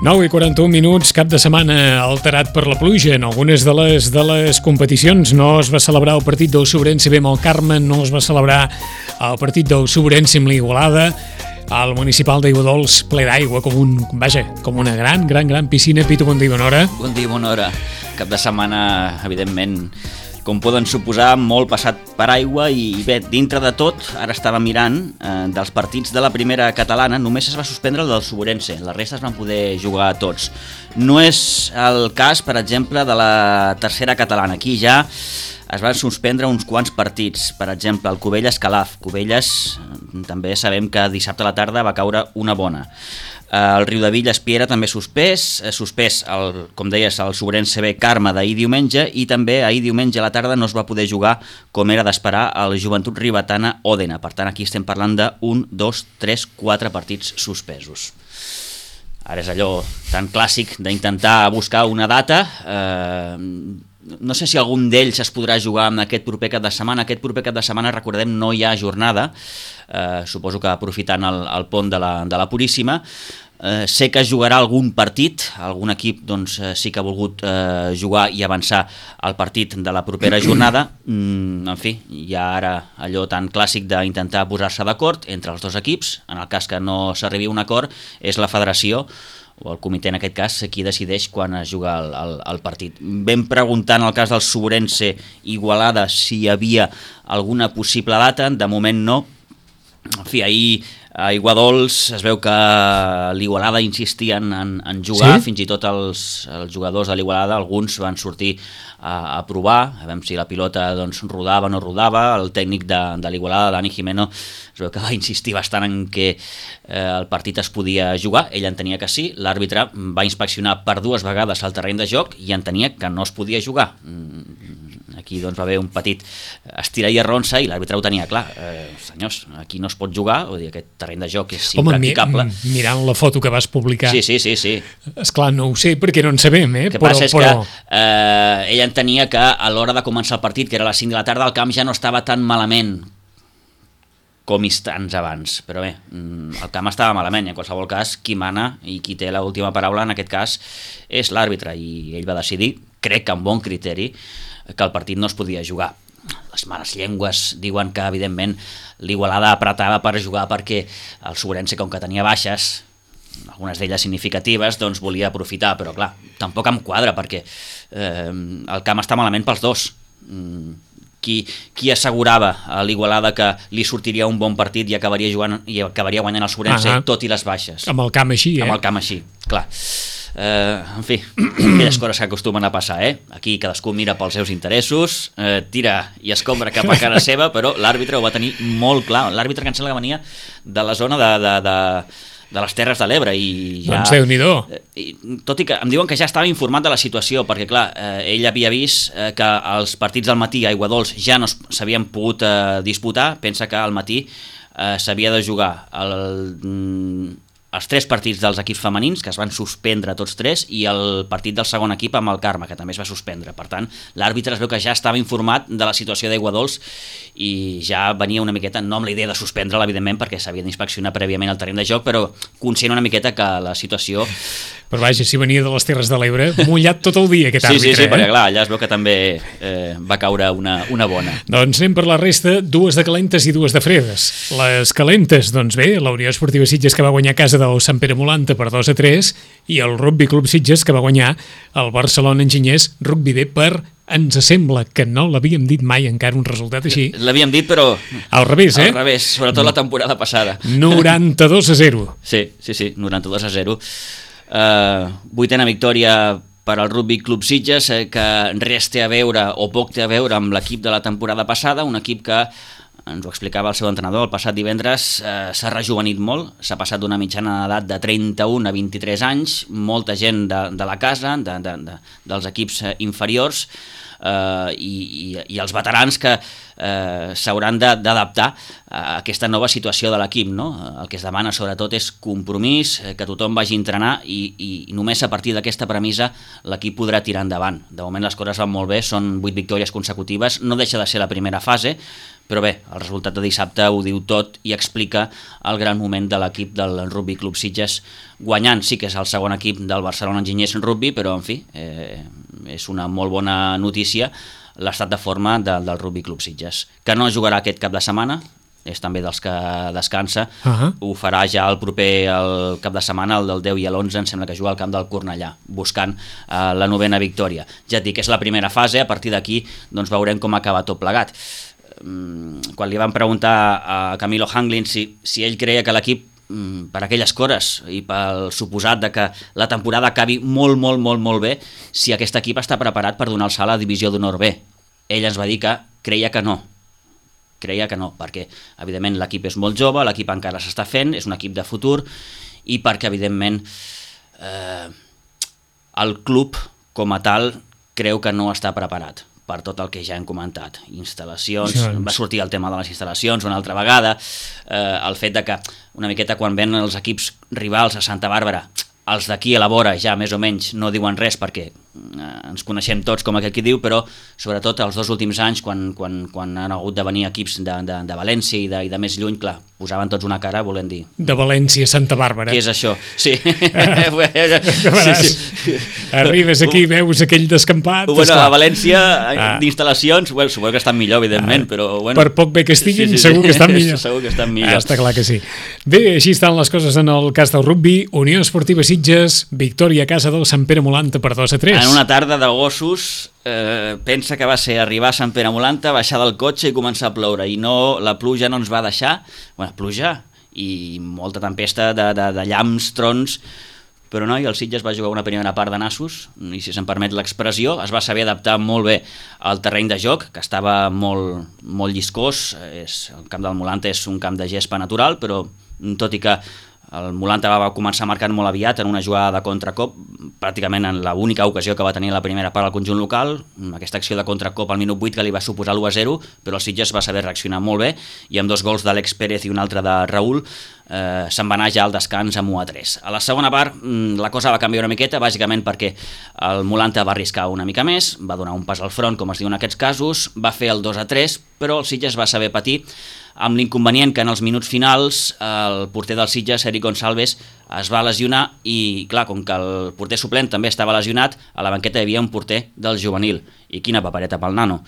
9:41, cap de setmana alterat per la pluja. En algunes de les competicions no es va celebrar el partit del Sobrense B amb el Carme, no es va celebrar el partit del Sobrense amb l'Igualada. El municipal d'Aiguadols ple d'aigua, com una gran piscina. Pitu, bon dia, bona hora. Bon dia, bona hora. Cap de setmana, evidentment, com poden suposar, molt passat per aigua i bé, dintre de tot, ara estava mirant, dels partits de la primera catalana, només es va suspendre el del Sobrense, la resta es van poder jugar tots. No és el cas, per exemple, de la tercera catalana. Aquí ja es van suspendre uns quants partits, per exemple, el Cubelles-Calaf. Cubelles, també sabem que dissabte a la tarda va caure una bona. El Riudebitlles-Piera també suspès, com deies, el Sobrense B Carme d'ahir diumenge, i també ahir diumenge a la tarda no es va poder jugar, com era d'esperar, el Joventut Ribetana Òdena. Per tant, aquí estem parlant de 1, 2, 3, 4 partits suspesos. Ara és allò tan clàssic d'intentar buscar una data. No sé si algun d'ells es podrà jugar en aquest proper cap de setmana. Aquest proper cap de setmana, recordem, no hi ha jornada, suposo que aprofitant el pont de la Puríssima. Sé que es jugarà algun partit, algun equip doncs, sí que ha volgut jugar i avançar el partit de la propera jornada. En fi, hi ha ara allò tan clàssic d'intentar posar-se d'acord entre els dos equips. En el cas que no s'arribi a un acord, és la federació o el comitè, en aquest cas, qui decideix quan es juga el partit. Vam preguntar en el cas del Sobrense Igualada si hi havia alguna possible data, de moment no. En fi, ahir a Aiguadols es veu que l'Igualada insistien en jugar, sí? Fins i tot els jugadors de l'Igualada, alguns van sortir a provar, a veure si la pilota doncs, rodava o no rodava. El tècnic de l'Igualada, Dani Jimeno, es veu que va insistir bastant en que el partit es podia jugar. Ell entenia que sí, l'àrbitre va inspeccionar per 2 vegades el terreny de joc i entenia que no es podia jugar. Aquí doncs, va haver un petit estirar i arronsa i l'àrbitre ho tenia clar. Senyors, aquí no es pot jugar, vull dir, aquest terreny de joc és impracticable. Mirant la foto que vas publicar... Sí. Esclar, no ho sé, perquè no en sabem, El que passa és que ell entenia que a l'hora de començar el partit, que era a les 5 de la tarda, el camp ja no estava tan malament com instants abans, però bé, el camp estava malament i en qualsevol cas qui mana i qui té l'última paraula en aquest cas és l'àrbitre i ell va decidir, crec que amb bon criteri, que el partit no es podia jugar. Les males llengües diuen que evidentment l'Igualada apretava per jugar perquè el Sobrense, com que tenia baixes, algunes d'elles significatives, doncs volia aprofitar, però clar, tampoc em quadra perquè el camp està malament pels dos. Qui assegurava a l'Igualada que li sortiria un bon partit i acabaria jugant i acabaria guanyant el Sobrense, tot i les baixes? Amb el camp així, Amb el camp així, clar. En fi, aquelles coses que acostumen a passar, Aquí cadascú mira pels seus interessos, tira i escombra cap a cara seva, però l'àrbitre ho va tenir molt clar. L'àrbitre que em sembla que venia de la zona de les Terres de l'Ebre i ja... Doncs Déu-n'hi-do. Tot i que em diuen que ja estava informat de la situació, perquè clar, ell havia vist que els partits del matí a Aiguadols ja no s'havien pogut disputar. Pensa que al matí s'havia de jugar els 3 partits dels equips femenins, que es van suspendre tots 3, i el partit del segon equip amb el Carme, que també es va suspendre. Per tant, l'àrbitre es veu que ja estava informat de la situació d'Aiguadols i ja venia una miqueta, no amb la idea de suspendre-la, evidentment, perquè s'havia d'inspeccionar prèviament el terreny de joc, però conscient una miqueta que la situació... Però vaja, si venia de les Terres de l'Ebre, mullat tot el dia aquest àrbitre. Sí, perquè clar, allà es veu que també va caure una bona. Doncs anem per la resta, 2 de calentes i 2 de fredes. Les calentes, doncs bé, la Unió Esportiva Sitges, que va guanyar a casa del Sant Pere Molanta per 2-3, i el Rugby Club Sitges, que va guanyar el Barcelona Enginyers Rugby B per, ens sembla que no l'havíem dit mai encara un resultat així. L'havíem dit, però... Al revés, Al revés, sobretot la temporada passada. 92-0. Sí, 92-0. 8ª victòria per al Rugby Club Sitges, que res té a veure o poc té a veure amb l'equip de la temporada passada, un equip que, ens ho explicava el seu entrenador el passat divendres, s'ha rejuvenit molt, s'ha passat d'una mitjana d'edat de 31 a 23 anys, molta gent de la casa, dels equips inferiors, i els veterans que s'hauran d'adaptar a aquesta nova situació de l'equip, no? El que es demana sobretot és compromís, que tothom vagi a entrenar i només a partir d'aquesta premissa l'equip podrà tirar endavant. De moment les coses van molt bé, són 8 victòries consecutives, no deixa de ser la primera fase, però bé, el resultat de dissabte ho diu tot i explica el gran moment de l'equip del Rugby Club Sitges guanyant. Sí que és el segon equip del Barcelona Enginyers Rugby, però en fi, és una molt bona notícia l'estat de forma del Rugby Club Sitges, que no jugarà aquest cap de setmana, és també dels que descansa, ho farà ja el cap de setmana, el del 10 i l'11, em sembla que juga al camp del Cornellà, buscant la 9ª victòria. Ja et dic, és la primera fase, a partir d'aquí doncs veurem com acaba tot plegat. Quan li van preguntar a Camilo Hanglin si ell creia que l'equip, per aquelles coses i pel suposat de que la temporada acabi molt bé, si aquest equip està preparat per donar el salt a la divisió d'honor B. Ell ens va dir que creia que no, perquè evidentment l'equip és molt jove, l'equip encara s'està fent, és un equip de futur, i perquè evidentment el club com a tal creu que no està preparat per tot el que ja hem comentat, instal·lacions, va sortir el tema de les instal·lacions una altra vegada, el fet de que una miqueta quan ven els equips rivals a Santa Bàrbara, els d'aquí a la vora ja més o menys no diuen res perquè ens coneixem tots com aquell qui diu, però sobretot els 2 últims anys quan han hagut de venir equips de València i de més lluny, clar, posaven tots una cara volent dir... De València a Santa Bàrbara. Què és això? Sí. Arribes aquí, veus aquell descampat... Bueno, a València, d'instal·lacions, suposo que estan millor, evidentment, però... Per poc bé que estiguin, segur que estan millor. Segur que estan millor. Està clar que sí. Bé, així estan les coses en el cas del rugby. Unió Esportiva Sitges, victòria a casa del Sant Pere Molanta per 2-3. En una tarda de gossos, pensa que va ser arribar a Sant Pere Molanta, baixar del cotxe i començar a ploure, i no, la pluja no ens va deixar, pluja i molta tempesta de llamps, trons, però no, i el Sitges va jugar una primera part de nassos, i si se'm permet l'expressió, es va saber adaptar molt bé al terreny de joc, que estava molt lliscós, el camp del Molanta és un camp de gespa natural, però tot i que el Molanta va començar marcant molt aviat en una jugada de contracop, pràcticament en l'única ocasió que va tenir la primera part al conjunt local, aquesta acció de contracop al minut 8 que li va suposar l'1-0, però el Sitges va saber reaccionar molt bé i amb 2 gols d'Àlex Pérez i un altre de Raül se'n va anar ja al descans amb 1-3. A la segona part la cosa va canviar una miqueta, bàsicament perquè el Molanta va arriscar una mica més, va donar un pas al front, com es diu en aquests casos, va fer el 2-3, però el Sitges va saber patir amb l'inconvenient que en els minuts finals el porter del Sitges, Eric Gonçalves, es va lesionar i, clar, com que el porter suplent també estava lesionat, a la banqueta hi havia un porter del juvenil. I quina papereta pel nano.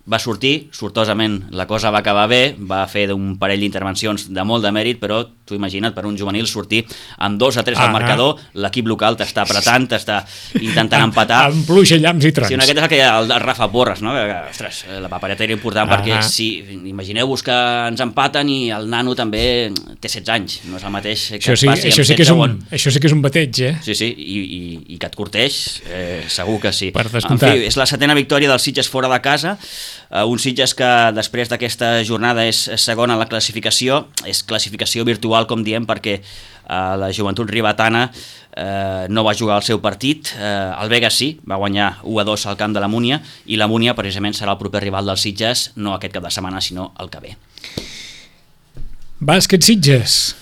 Va sortir, sortosament la cosa va acabar bé, va fer un parell d'intervencions de molt de mèrit, però tu imagina't per un juvenil sortir amb 2-3 al marcador, l'equip local t'està apretant, t'està intentant empatar. Amb pluja, llamps i trons. Sí, aquest és el que el Rafa Porres, no? Ostres, la papereta era important perquè si imagineu-vos que ens empaten i el nano també té 16 anys, no és el mateix que passi amb 7 segons. Això sí que és un bateig, eh? Sí, i que et curteix, segur que sí. Per descomptat. En fi, és la 7ª victòria del Sitges fora de casa, un Sitges que després d'aquesta jornada és segon en la classificació, és classificació virtual com diem perquè la Joventut Ribetana no va jugar el seu partit, el Vega sí, va guanyar 1-2 al camp de la Múnia i la Múnia precisament serà el proper rival del Sitges, no aquest cap de setmana sinó el que ve. Bàsquet Sitges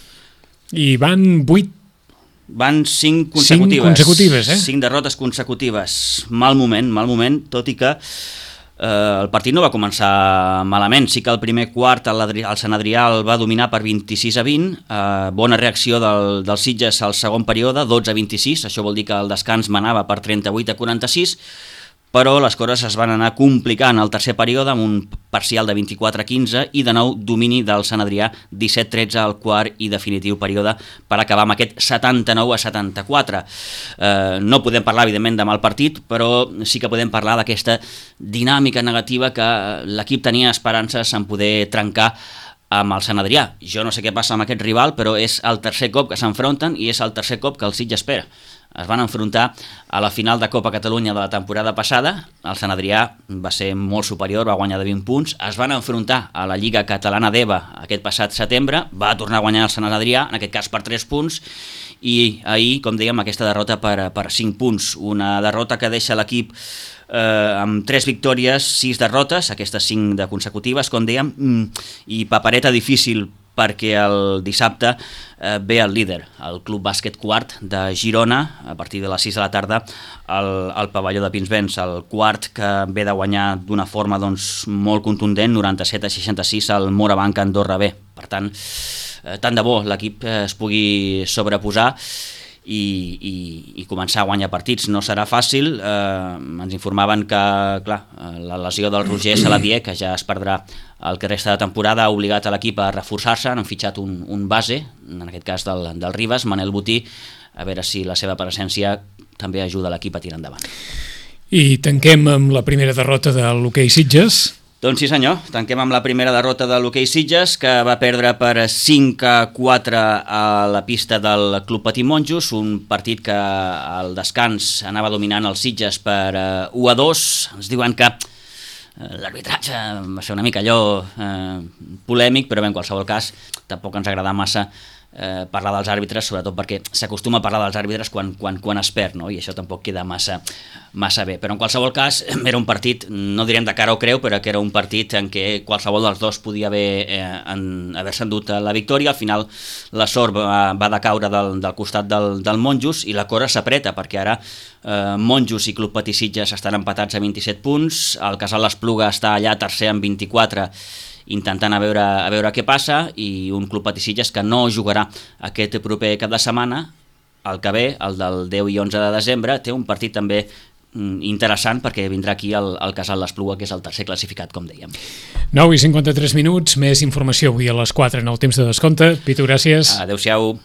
i van 8 van 5 consecutives. 5 consecutives, 5 derrotes consecutives. Mal moment, tot i que el partit no va començar malament. Sí que el primer quart el Sant Adrià el va dominar per 26-20, bona reacció del Sitges al segon període, 12-26, això vol dir que el descans manava per 38-46, però les coses es van anar complicant al tercer període amb un parcial de 24-15 i de nou domini del Sant Adrià 17-13 al quart i definitiu període per acabar amb aquest 79-74. No podem parlar evidentment de mal partit, però sí que podem parlar d'aquesta dinàmica negativa que l'equip tenia esperances en poder trencar amb el Sant Adrià. Jo no sé què passa amb aquest rival, però és el tercer cop que s'enfronten i és el tercer cop que el Sitges espera. Es van enfrontar a la final de Copa Catalunya de la temporada passada, el Sant Adrià va ser molt superior, va guanyar de 20 punts, es van enfrontar a la Lliga Catalana d'EVA aquest passat setembre, va tornar a guanyar el Sant Adrià, en aquest cas per 3 punts, i ahir, com dèiem, aquesta derrota per 5 punts, una derrota que deixa l'equip amb 3 victòries, 6 derrotes, aquestes 5 de consecutives, com dèiem, i papereta difícil perquè el dissabte ve el líder, el Club Bàsquet Quart de Girona, a partir de les 6 de la tarda al pavelló de Pinsbens, el Quart que ve de guanyar d'una forma molt contundent, 97-66 al Morabanc Andorra B. Per tant, tant de bo l'equip es pugui sobreposar i començar a guanyar partits. No serà fàcil, ens informaven que clar, la lesió del Roger Saladier, que ja es perdrà el que resta de temporada, ha obligat a l'equip a reforçar-se, han fitxat un base, en aquest cas del Ribas, Manel Botí, a veure si la seva presència també ajuda l'equip a tirar endavant. I tanquem amb la primera derrota de l'hoquei Sitges. Doncs sí senyor, tanquem amb la primera derrota de l'hoquei Sitges, que va perdre per 5-4 a la pista del Club Patí Monjos, un partit que al descans anava dominant el Sitges per 1-2. Ens diuen que l'arbitratge va ser una mica allò polèmic, però bé, en qualsevol cas tampoc ens agrada massa parlar dels àrbitres, sobretot perquè s'acostuma a parlar dels àrbitres quan es perd, no? I això tampoc queda massa bé, però en qualsevol cas era un partit, no direm de cara o creu, però que era un partit en què qualsevol dels dos podia haver-se endut la victòria. Al final la sort va decaure del costat del Monjos i la cosa s'apreta, perquè ara Monjos i Club Patí Sitges estan empatats a 27 punts, el Casal l'Espluga està allà tercer amb 24, intentant a veure què passa, i un Club Patí Sitges que no jugarà aquest proper cap de setmana. El que ve, el del 10 i 11 de desembre, té un partit també interessant, perquè vindrà aquí el Casal l'Espluga, que és el tercer classificat, com dèiem. 9:53, més informació avui a les 4 en el temps de descompte. Pitu, gràcies. Adéu-siau.